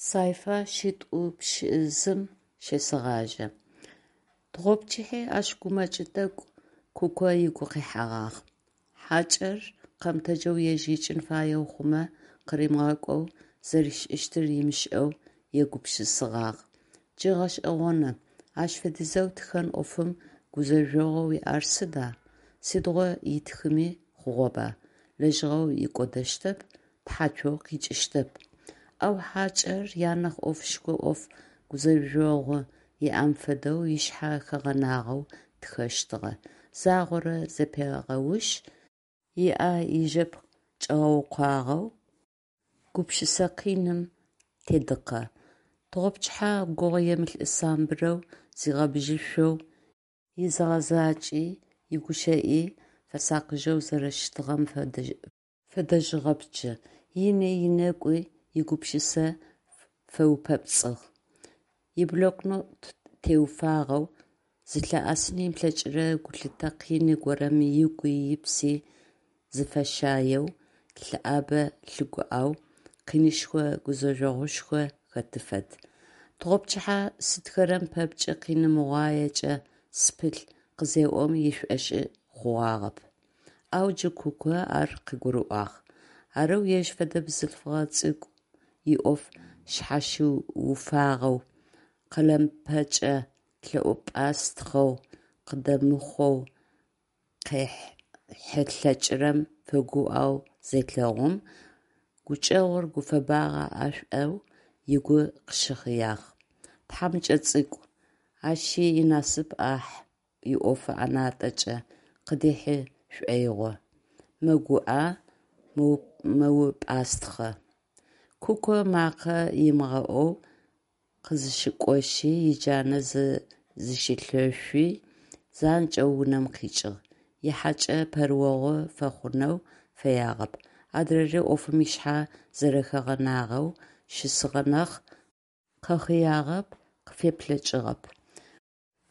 Сайфа шитӏупщызым щесэгъажьэ. Тыгъопчыхьи ащ гумэкӏ тӏэкӏу Куко ыгу къихьэгъагъ. Хьакӏэр къэмытэджэу ежь икӏын фаеу хъумэ къыримыгъэкӏоу зэришӏыщтыр ымышӏэу егупшысэгъагъ. Джы гъэшӏэгъоны, ащ фэдизэу тхэн ӏофым гузэжъогъоу иӏэр сыда? Сыдигъо ытхыми хъугъэба, лэжьыгъэу икӏодэщтэп, тхьацоу къикӏыщтэп. Ау хьакӏэр анахь ӏофышхо ӏоф гузэжъогъу иӏэм фэдэу ышъхьэ хэгъэнагъэу тхэщтыгъэ, загъорэ зэпегъэушъ, ыӏэ ижэпкъ чӏэгъэукъуагъэу гупшысэ къиным тедыкъэ. Тыгъопчыхьэ гугъуемылӏ самбырэу, зигъэбыжьышъоу, изыгъэзакӏи, игущыӏи фэсакъыжьэу зэрэщытыгъэм фэдэжьыгъэп джы. Ини, ынэгуи игупшысэ фэупэпцӏыгъ. Иблокнот теуфагъэу, зылъыӏэсын ымылъэкӏырэ гулъытэ къины горэм ыгуи ыпси зыфащаеу, лъыӏэбэ-лъыгуӏэу, къинышхо гузэжъогъушхо хэты фэд. Тыгъопчыхьэ «сытхэрэм пэпчъ къиныгъуаекӏэ сыпылъ» къызеӏом ышӏошъы хъугъагъэп. Ау джы Куко ар къыгурыӏуагъ. Арэу ежь фэдэ бзылъфыгъэ цӏыкӏу иӏоф шъхьащыуфагъэу, къэлэмыпэкӏэ лъэӏупӏастхъэу, къыдэмыхъоу къехьылъэкӏырэм фэгуӏэу зелъэгъум, гукӏэгъур гуфэбагъэ ӏэшӏоу ыгу къыщыхъыягъ. Тхьамыкӏэ цӏыкӏу, ащи инасып ӏахь иӏофы ӏэнатӏакӏэ къыдихьы шӏоигъу, мэгуӏэ, мэупӏастхъэ. Куко макъэ ымыгъэӏоу къызыщыкӏошъи, иджанэ зыщилъэшъуи, занкӏэу унэм къикӏыгъ. Ихьакӏэ пэрыохъу фэхъунэу фэягъэп. Адрэри ӏофым ышъхьэ зэрэхэгъэнагъэу щысыгъэ нахь, къэхъыягъэп, къыфеплъэкӏыгъэп.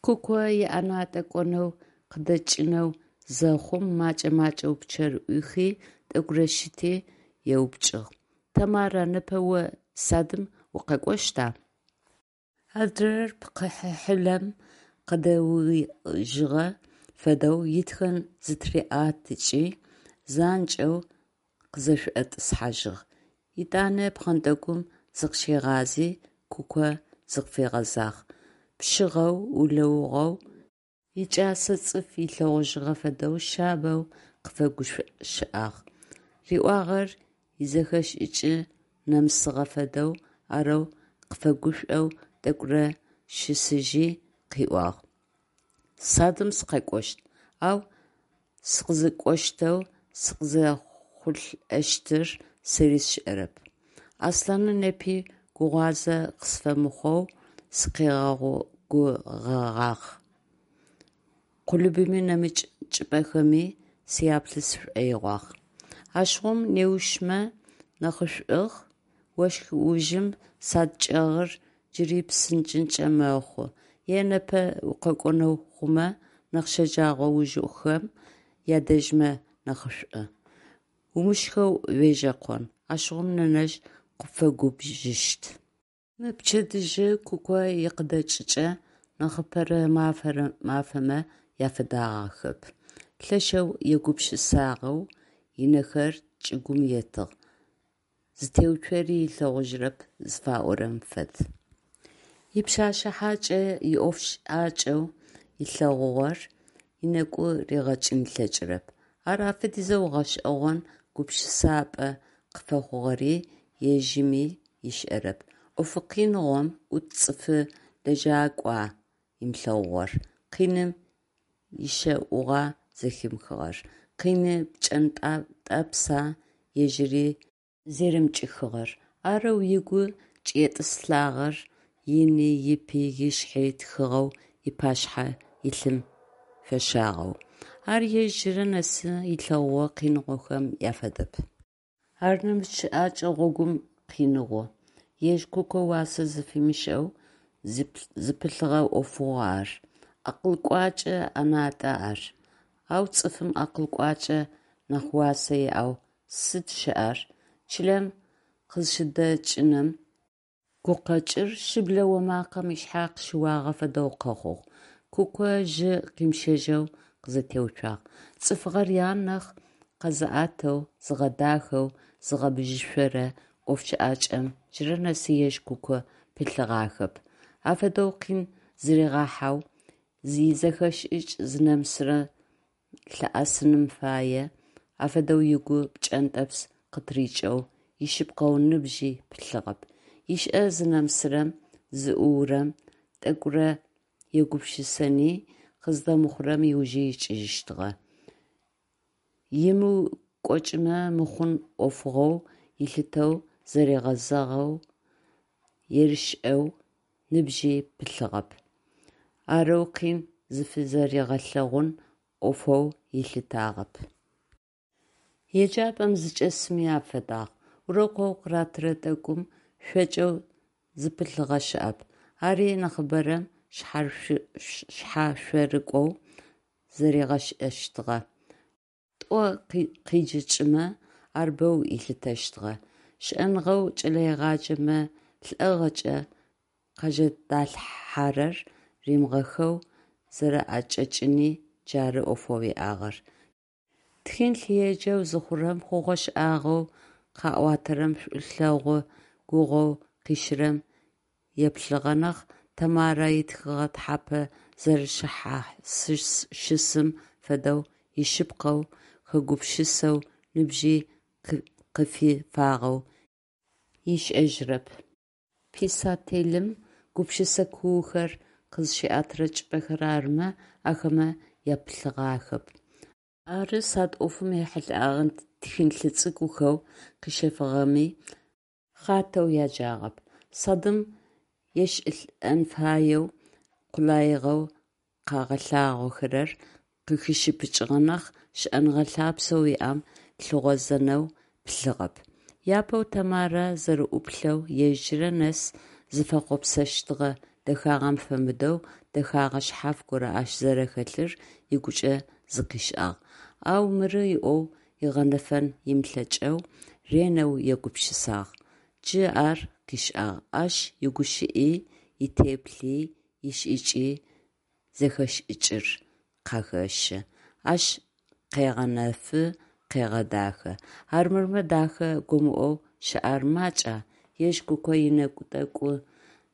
Куко иӏэнатӏэ кӏонэу къыдэкӏынэу зэхъум, макӏэ-макӏэу пчъэр ӏуихи, тӏэкӏурэ щыти, еупчӏыгъ: «Тамара, непэ о садым укъэкӏощта?» Адрэр пкъы хьылъэм къыдэужьыгъэ фэдэу итхэн зэтыриӏэтыкӏи, занкӏэу къызэшӏотӏысхьажьыгъ. Етӏанэ пхъэнтӏэкӏум зыкъыщигъази, Куко зыкъыфигъэзагъ. Пшъыгъэу, улэугъэу, икӏасэ цӏыф ылъэгъужьыгъэ фэдэу шъабэу къыфэгущыӏагъ. Риӏуагъэр изэхэшӏыкӏ нэмысыгъэ фэдэу, арэу къыфэгушӏоу тӏэкӏурэ щысыжьи, къыӏуагъ: «Садым сыкъэкӏощт, ау сыкъызыкӏощтэу сыкъызэхъулӏэщтыр сэри сшӏэрэп. Аслъанэ непи гугъуазэ къысфэмыхъоу сыкъигъэгугъэгъагъ. Къулыбыми нэмыкӏ чӏыпӏэхэми сяплъы сшӏоигъуагъ. Ащыгъум неущмэ нахьышӏугъ, ощх ужым сад чӏэгъыр джыри псынкӏынкӏи мэхъу, е непэ укъэкӏонэу хъумэ, нахь щэджэгъо ужхэм ядэжьмэ нахьышӏу. Умышхэу уежьэкъон, ащыгъум нэнэжъ къыпфэгубжыщт». Мы пчэдыжьы Куко икъыдэкӏыкӏэ нахьыпэрэ мафэмэ афэдагъэхэп. Лъэшэу егупшысагъэу ынэхэр чӏыгум етыгъ, зытеуцори ылъэгъужьырэп зыфаӏорэм фэд. Ипшъэшъэ хьакӏэ иӏофшӏакӏэу ылъэгъугъэр ынэгу ригъэкӏын ылъэкӏырэп. Ар афэдизэу гъэшӏэгъон гупшысапӏэ къыфэхъугъэри ежьыми ышӏэрэп. ӏофы къиныгъом ӏут цӏыфы лэжьакӏуа ымылъэгъугъэр, къиным ишъэугъа зэхимыхыгъэр, къины пкӏэнтӏэпса ежьыри зэримыкӏыхыгъэр, арэу ыгу кӏетӏысылӏагъэр ыни, ыпи, ышъхьи тхыгъэу ыпашъхьэ илъым фэщагъэу. Ар ежь джырэ нэсы ылъэгъугъэ къиныгъохэм афэдэп. Ар нэмыкӏ щыӏэкӏэ гъогум къиныгъу. Ежь Куко уасэ зыфимышӏэу зыпылъыгъэ ӏофыгъу ар, акъыл кӏуачӏэ ӏэнатӏэ ар. Ау цӏыфым акъыл кӏуачӏэ нахь уасэ иӏэу сыд щыӏэр? Чылэм къызыщыдэкӏыным Гукъэкӏыр шыблэ омакъэм ышъхьэ къыщыуагъэ фэдэу къэхъугъ. Куко жьы къимыщэжьэу къызэтеуцуагъ. Цӏыфыгъэр анахь къэзыӏэтэу, зыгъэдахэу, зыгъэбжьышӏорэ ӏоф щыӏакӏэм джырэ нэсы ежь Куко пылъыгъахэп. Афэдэу къин зыригъэхьэу, изэхэшӏыкӏ зынэмысырэм лъыӏэсыным пае, афэдэу ыгу пкӏэнтӏэпс къытырикӏэу ишъыпкъэу ныбжьи пылъыгъэп. Ишӏэ зынэмысырэм, зыӏуурэм тӏэкӏурэ егупшысэни, къыздэмыхъурэм ыужы икӏыжьыщтыгъэ. Ымыукӏочӏымэ мыхъун ӏофыгъоу ылъытэу зэригъэзэгъэу, ерышэу ныбжьи пылъыгъэп. Арэу къин зыфызэригъэлъэгъун ӏофэу ылъытагъэп. Еджапӏэм зычӏэсми афэдагъ. Урокэу къыратырэ тӏэкӏум шӏокӏэу зыпылъыгъэ щыӏэп. Ари нахьыбэрэм шъхьашъорыкӏоу зэригъашӏэщтыгъэ. Тӏо къиджыкӏымэ, ар бэу ылъытэщтыгъэ. Шӏэныгъэу кӏэлэегъаджэмэ лӏыгъэкӏэ къажэдалъхьэрэр римыгъэхэу зэрэӏэкӏэкӏыни джары ӏофэу иӏагъэр. Тхылъ еджэу зыхъурэм, хъугъэ-шӏагъэу къаӏуатэрэм, шӏулъэгъу гугъоу къишӏырэм еплъыгъэ нахь, Тэмарэ итхыгъэ тхьапэ зэрэшъхьасщысым фэдэу ишъыпкъэу хэгупшысэу ныбжьи къыфифагъэу ышӏэжьырэп. Писателым гупшысэ куухэр къызщиӏэтырэ чӏыпӏэхэр арымэ, ахэмэ яплъыгъахэп. Ары сад ӏофым ехьылӏэгъэ тхылъ цӏыкӏухэу къыщэфыгъэми хъатэу яджагъэп. Садым ешӏылӏэн фаеу къулаигъэу къагъэлъагъохэрэр къыхишыпыкӏыгъэ нахь, шӏэныгъэ лъапсэу иӏэм лъыгъозэнэу пылъыгъэп. Апэу Тэмарэ зэрэӏуплъэу ежь джырэ нэс зыфэхъуапсэщтыгъэ дэхагъэм фэмыдэу дэхэгъэ шъхьаф горэ ащ зэрэхэлъыр ыгукӏэ зыкъишӏагъ, ау мыры ыӏоу ыгъэнэфэн ымылъэкӏэу ренэу егупшысагъ. Джы ар къышӏагъ: ащ игущыӏи, итеплъи, ишӏыкӏи зэхэшӏыкӏыр къахэщы, ащ къегъэнэфы, къегъэдахэ. Армырмэ дахэ гомыӏоу щыӏэр макӏа, ежь Куко ынэгу тӏэкӏу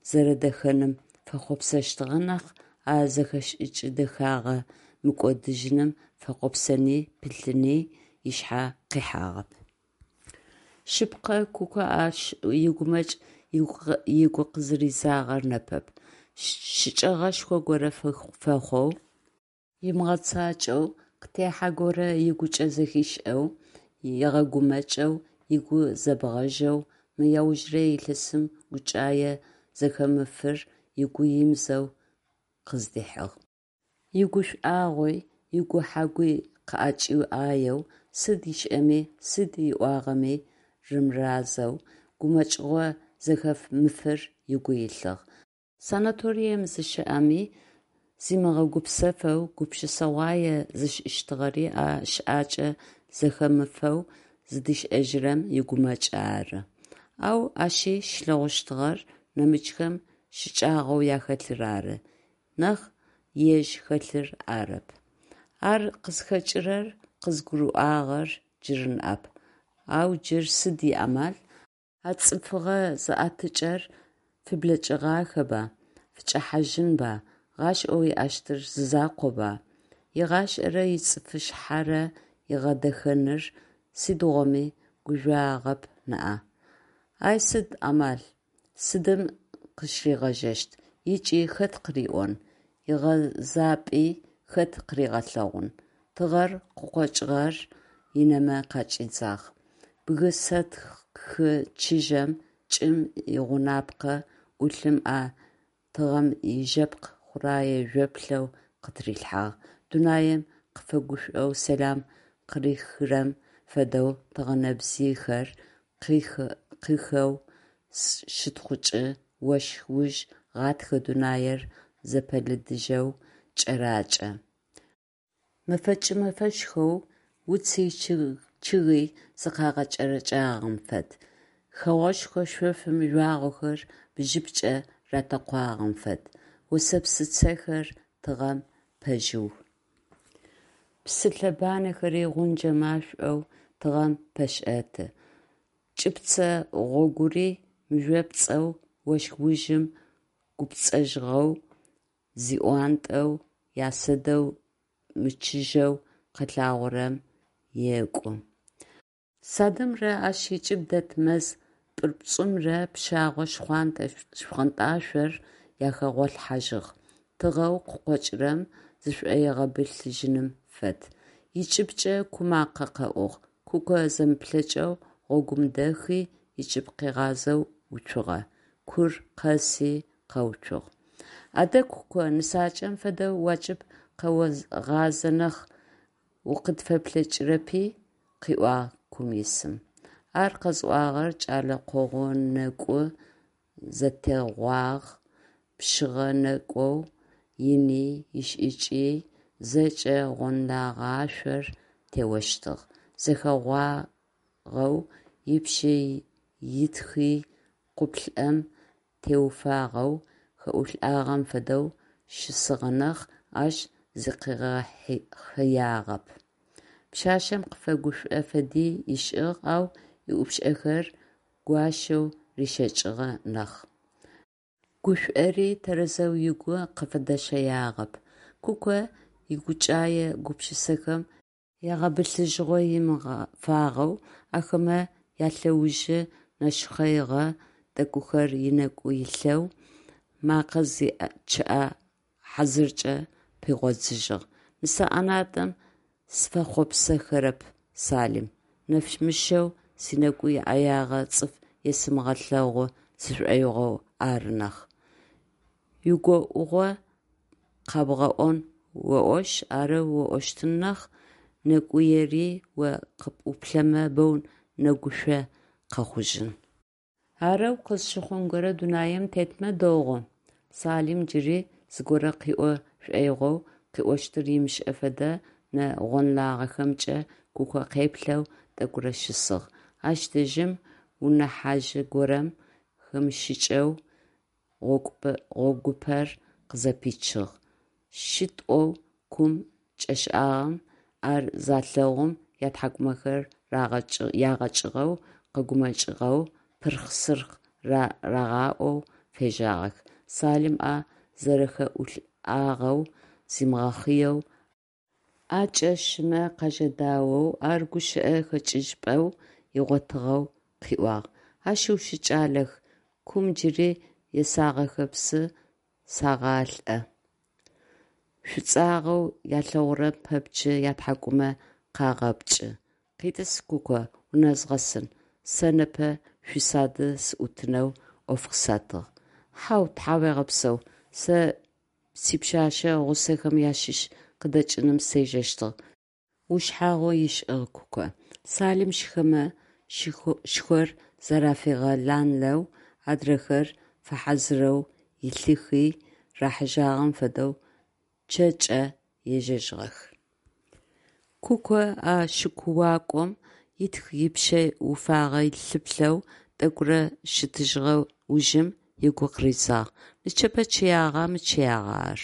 зэрэдэхэным фэхъуапсэщтыгъэ нахь, а зэхэшӏыкӏ-дэхэгъэ мыкӏодыжьыным фэхъопсэни пылъыни ышъхьэ къихьагъэп. Шъыпкъэ, Куко ащ игумэкӏ ыгу къызыридзагъэр непэп. Щыкӏэгъэшхо горэ фэхъоу ымыгъэцакӏэу, къытехьэ горэ ыгукӏэ зэхишӏэу, ыгъэгумэкӏэу, ыгу зэбгъэжьэу мы аужырэ илъэсым гукӏае зэхэмыфыр ыгу имызэу къыздихьыгъ. Игушӏуагъуи, игухьагъуи къыӏэкӏаеу, сыд ышӏэми, сыд ыӏуагъэми рымыразэу, гумэкӏыгъо зэхэмыфыр ыгу илъыгъ. Санаторием зыщэӏэми зимыгъэгупсэфэу гупшысэгъуае зышӏыщтыгъэри а щыӏэкӏэ зэхэмыфэу зыдишӏэжьырэм игумэкӏ ары. Ау ащи щилъэгъущтыгъэр нэмыкӏхэм щыкӏагъэу ахэлъыр ары нахь, ежь хэлъыр арэп. Ар къызхэкӏырэр къызгурыӏуагъэр джыры ныӏэп. Ау джы сыд иамал, а цӏыфыгъэ зыӏэтыкӏэр фыблэкӏыгъахэба, фыкӏэхьажьынба, гъашӏэу иӏэщтыр зызакъоба? Игъашӏэрэ ицӏыфышъхьэрэ ыгъэдэхэныр сыдигъоми гужъуагъэп ныӏа? Ay сыд амал, сыдым къыщыригъэжьэщт ыкӏи хэт къыриӏон, игъэзапӏи хэт къыригъэлъэгъун? Тыгъэр къыкъокӏыгъэр ынэмэ къакӏидзагъ, бгы сэтхы чыжьэм, чӏым игъунапкъэ ӏулъым а тыгъэм ижэпкъ хъурае жъоплъэу къытырилъхьагъ, дунаим къыфэгушӏоу сэлам къырихрэм фэдэу тыгъэнэбзыйхэр къыхэу щытхъукӏы, ощх уж гъэтхэ дунаир зэпэлыдыжьэу кӏэракӏэ. Мэфэкӏ-мэфэшхоу уци чъыги зыкъагъэкӏэрэкӏагъэм фэд. Хэгъошхо шъофым жъуагъохэр бжьыпкӏэ ратэкъуагъэм фэд, осэпсыцэхэр тыгъэм пэжъыу. Псы лъэбанэхэри гъунджэ машӏоу тыгъэм пэшӏэты. Чӏыпцэ гъогури мыжъопцӏэу ощх ужым гупцӏэжьыгъэу зиӏуантӏэу ясадэу мычыжьэу къэлъагъорэм екӏу. Садымрэ ащ ыкӏыб дэт мэз пӏырпӏыжъымрэ пщэгъо шхъонтӏашъор ахэгъолъхьажьыгъ, тыгъэу къыкъокӏырэм зышӏуигъэбылъыжьыным фэд. Ыкӏыбкӏэ ку макъэ къэӏугъ. Куко зэмыплъэкӏэу гъогум дэхи, ыкӏыб къыгъазэу уцугъэ. Кур къэси къэуцугъ. Адэ, Куко, нысакӏэм фэдэу уакӏыб къэогъазэ нахь, укъытфеплъэкӏырэпи? – къыӏуагъ кум исым. Ар къэзыӏуагъэр кӏэлэ къогъунэкӏу зэтегъуагъ, пшъыгъэ нэкӏоу, ини, ишӏыкӏи зэкӏэ гъонлэгъашъор теощтыгъ, зэхэгъуагъэу, ыпшъи ытхи къуплӏэм теуфагъэу, хэӏулӏагъэм фэдэу щысыгъэ нахь, ащ зыкъигъэхъыягъэп. Пшъашъэм къыфэгушӏо фэди ышӏыгъ, ау ыӏупшӏэхэр гуащэу рищэкӏыгъэ нахь, гушӏори тэрэзэу ыгу къыфыдэщэягъэп. Куко игукӏае гупшысэхэм ягъэбылъыжьыгъо имыфагъэу, ахэмэ ялъэужы нэшхъэигъэ тӏэкӏухэр ынэгу илъэу, мэкъэ чъыӏэ хьазыркӏэ пигъодзыжьыгъ: «Нысэ ӏэнатӏэм сыфэхъуапсэхэрэп, Салим, нэфмышъэу синэкӏу иӏаягъэ цӏыф есымыгъэлъэгъу сшӏоигъоу ары нахь. Уигоӏугъэ къябгъэӏон оӏошъ, арэу оӏощтын нахь, нэкӏуери о къыпӏуплъэмэ боу нэгушъо къэхъужьын. Арэу къызщыхъун горэ дунаим тетмэ дэгъу, – Салим джыри зыгорэ къыӏо шӏоигъоу, къыӏощтыр ымышӏэ фэдэ нэ гъонлагъэхэмкӏэ Куко къеплъэу тӏэкӏурэ щысыгъ. Ащ дэжьым унэ хьажъы горэм хэмышъыкӏэу гъогупэр къызэпичыгъ. Шитӏоу кум кӏэшӏагъэм ар залъэгъум, ятхьакӏумэхэр ягъэкӏыгъэу, къэгумэкӏыгъэу, пырхъ-сырхъ рагъаӏоу фежьагъэх. Салим ӏэ зэрэхэӏулӏагъэу зимыгъэхъыеу, ӏэкӏэ шымэ къажэдаоу, ар гущыӏэ хэкӏыжьыпӏэу ыгъотыгъэу къыӏуагъ: «Ашъыу шъукӏалэх, кум джыри есагъэхэпсы сагъалӏэ. Шӏуцӏагъэу ялъэгъурэм пэпчъы ятхьакӏумэ къагъэпкӏы. Къитӏыс, Куко, унэзгъэсын, сэ непэ шъуисады сыӏутынэу ӏоф къысатыгъ. – Хьау, тхьауегъэпсэу, сэ сипшъашъэ гъусэхэм ащыщ къыдэкӏыным сежэщтыгъ, – ушъхьагъу ышӏыгъ Куко. Салим шхэмэ шхор зэрафигъэланлэу, адрэхэр фэхьазырэу илъыхи, рахьыжьагъэм фэдэу чъэкӏэ ежьэжьыгъэх. Куко а шыкуакӏом ытх ипшъэ уфагъэ лъыплъэу тӏэкӏурэ зыщытыжьыгъэ ужым ыгу къыридзагъ: «Нычэпэ чъыягъа, мычъыягъа ар?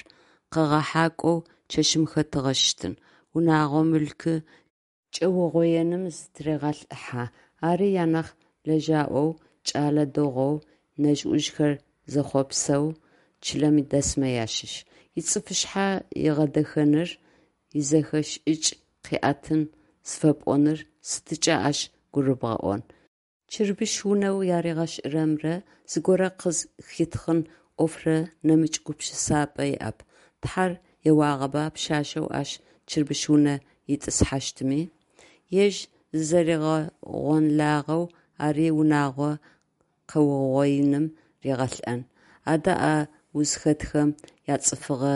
Къэгъэхьакӏоу чэщым хэтыгъэщтын. Унагъо мылъку кӏэугъоеным зытырегъэлӏыхьэ. Ари анахь лэжьаӏоу, кӏэлэ дэгъоу, нэжъ-ӏужъхэр зэхъопсэу чылэм дэсмэ ащыщ. Ицӏыфышъхьэ ыгъэдэхэныр, изэхэшӏыкӏ къыӏэтын зыфэпӏоныр сыдыкӏэ ащ гурыбгъэӏон. Чырбыщ унэу яригъэшӏырэмрэ зыгорэ къызхитхъын ӏофрэ нэмыкӏ гупшысапӏэ иӏэп. Тхьэр еуагъэба пшъашъэу ащ чырбыщ унэ итӏысхьащтми? Ежь зызэригъэгъонлагъэу ари унагъо къэугъоиным ригъэлӏэн. Адэ а узхэтхэм яцӏыфыгъэ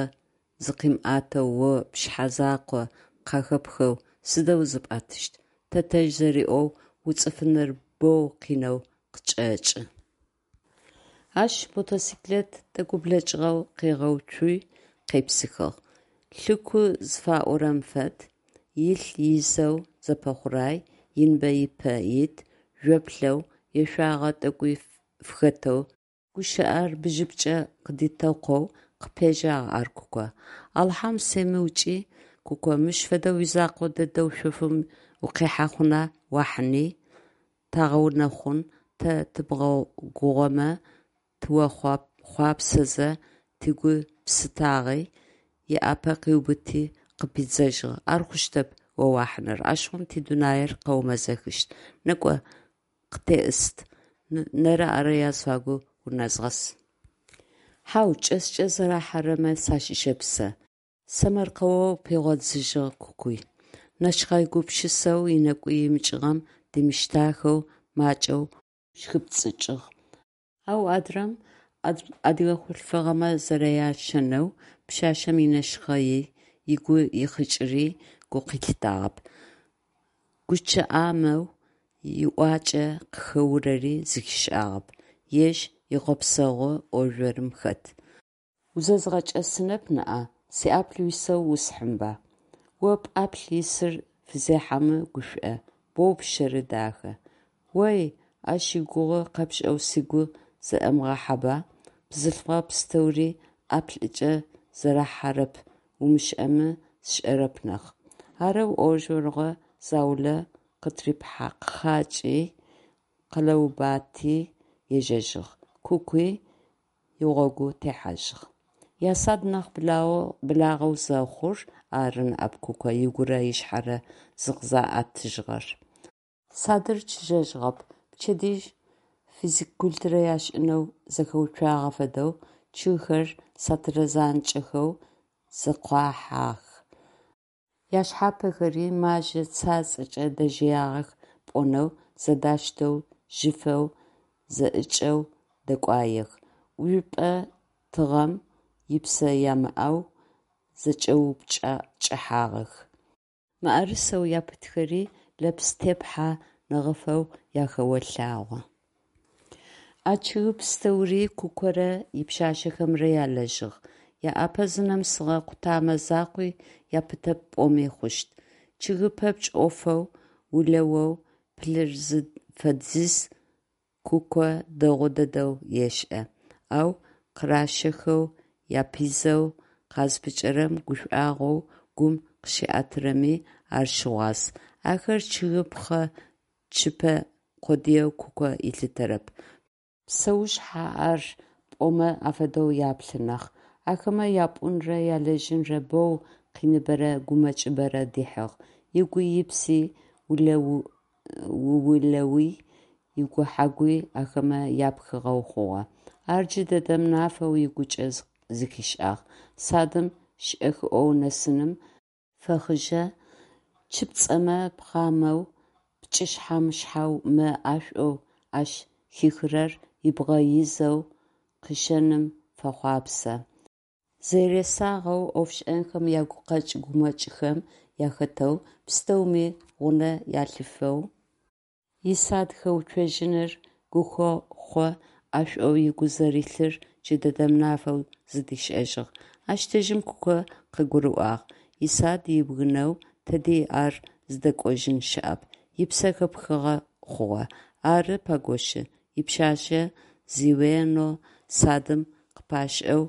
зыкъимыӏэтэу о пшъхьэ закъо къахэпхэу сыдэу зыпӏэтыщт? Тэтэжъ зэриӏоу, уцӏыфыныр боу къинэу къычӏэкӏы. Ащ мотоциклет тӏэкӏу блэкӏыгъэу къыгъэуцуи, къепсыхыгъ. Лъыку зыфаӏорэм фэд, илъ изэу зэпэхъурай, иныбэ ыпэ ит, жъоплъэу Ешъуагъэ тӏэкӏуи фыхэтэу, гущыӏэр бжыпкӏэ къыдитэкъоу къыпежьагъ ар Куко. Алахьэм семыукӏи, Куко, мыщ фэдэу уизэкъо дэдэу шъофым укъихьэ хъуна, уахьыни, тагъэунэхъун, тэ тыбгъэгугъэмэ тыохъуапсэзэ, тыгу псытагъи, ыӏапэ къыубыти къыпидзэжьыгъ, ар хъущтэп о уахьыныр, ащыгъум ти дунаир къэумэзэхыщт. Некӏо, къытеӏыст, нэрэ-ӏэрэ языфагу унэзгъэс. Хьау, кӏэскӏэ зэрахьэрэмэ сащыщэп сэ, сэмэркъэоу пигъодзыжьыгъ Кукуй, нэшхъэй гупшысэу ынэгу имыкӏыгъэм димыштахэу макӏэу ӏущхыпцӏыкӏыгъ. Ау адрэм, адыгэ хъулъфыгъэмэ зэряшэнэу, пшъашъэм инэшхъэий, ыгу ихъыкӏыри гу лъитагъэп, гучъыӏамэу иӏуакӏэ къыхэурэри зэхишӏагъэп, ежь ихъопсэгъу ӏо-жъорым хэт. Узэзгъэкӏэсэнэп ныӏа, сиӏаплӏ уисэу усхьынба. О пӏаплӏ исыр фызехьэмэ гушӏо, боу пщэры дахэ. Ой, ащ игугъу къэпшӏэу сыгу зэӏэмыгъахьэба, бзылъфыгъэ пстэури ӏаплӏыкӏэ зэрахьэрэп умышӏэмэ сшӏэрэп нахь. Арэу ӏо-жъорыгъо заулэ къытырипхъакӏи, къэлэубати ежьэжьыгъ, Кукуи игъогу техьажьыгъ. Ясад нахь благъэу зэхъур ары ныӏэп Куко ыгурэ ышъхьэрэ зыкъызаӏэтыжьыгъэр. Садыр чыжьэжьыгъэп. Пчэдыжь физкультурэ ашӏынэу зэхэуцуагъэ фэдэу чъыгхэр сатырэ занкӏэхэу зэкъуахьэх. Яшъхьапэхэри, мажьэ цацӏэкӏэ дэжъыягъэх пӏонэу, зэдаштэу, жьыфэу, зэӏыкӏэу дэкӏуаех, ӏужъупӏэ тыгъэм ипсэ ямыӏэу зэкӏэупкӏыхьагъэх. Мыӏэрысэу япытхэри лэпс тепхьэ нэгъыфэу ахэолъагъо. А чъыг пстэури Кукорэ ипшъашъэхэмрэ ялэжьыгъ, аӏапэ зынэмысыгъэ къутэмэ закъуи япытэп пӏоми хъущт. Чъыгы пэпчъ ӏофэу, улэоу пылъыр зыфэдизыр Куко дэгъу дэдэу ешӏэ, ау къыращэхэу, япизэу къазпыкӏэрэм гушӏуагъоу гум къыщиӏэтырэми ар щыгъуаз. Ахэр чъыгы пхъэ цупэ къодыеу Куко ылъытэрэп, псэушъхь ар пӏомэ афэдэу яплъы нахь. Ахэмэ япӏунрэ ялэжьынрэ боу къиныбэрэ гумэкӏыбэрэ дихьыгъ, ыгуи ыпси, иулэуи игухьэгуи ахэмэ япхыгъэу хъугъэ. Ар джыдэдэм нафэу ыгукӏэ зэхишӏагъ. Садым шӏэхыӏоу нэсыным фэхъыжьэ чыпцӏэмэ пхъамэу, пкӏышъхьэ-мышъхьэу мэ ӏэшӏоу ащ хихырэр ыбгъэ изэу къыщэным фэхъуапсэ. Зэресагъэу, ӏофшӏэнхэм ягукъэкӏ-гумэкӏхэм ахэтэу, пстэуми гъунэ алъифэу исад хэуцожьыныр гухэхъо ӏэшӏоу ыгу зэрилъыр джыдэдэм нафэу зыдишӏэжьыгъ. Ащ дэжьым Куко къыгурыӏуагъ: исад ыбгынэу тэди ар зыдэкӏожьын щыӏэп, ыпсэ хэпхыгъэ хъугъэ. Ары пакӏошъы, ипшъашъэ звено садым къыпашӏэу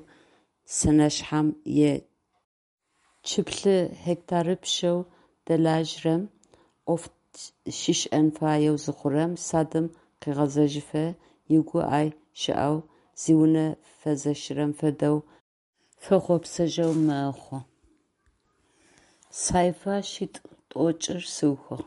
сэнэшъхьэм е чыплӏы гектарыпшъэу дэлажьэрэм ӏоф щишӏэн фаеу зыхъурэм, садым къегъэзэжьыфэ ыгу ай щыӏэу, зиунэ фэзэщырэм фэдэу фэхъопсэжьэу мэхъу. Сайфа шъитӏу тӏокӏыр сыухыгъ.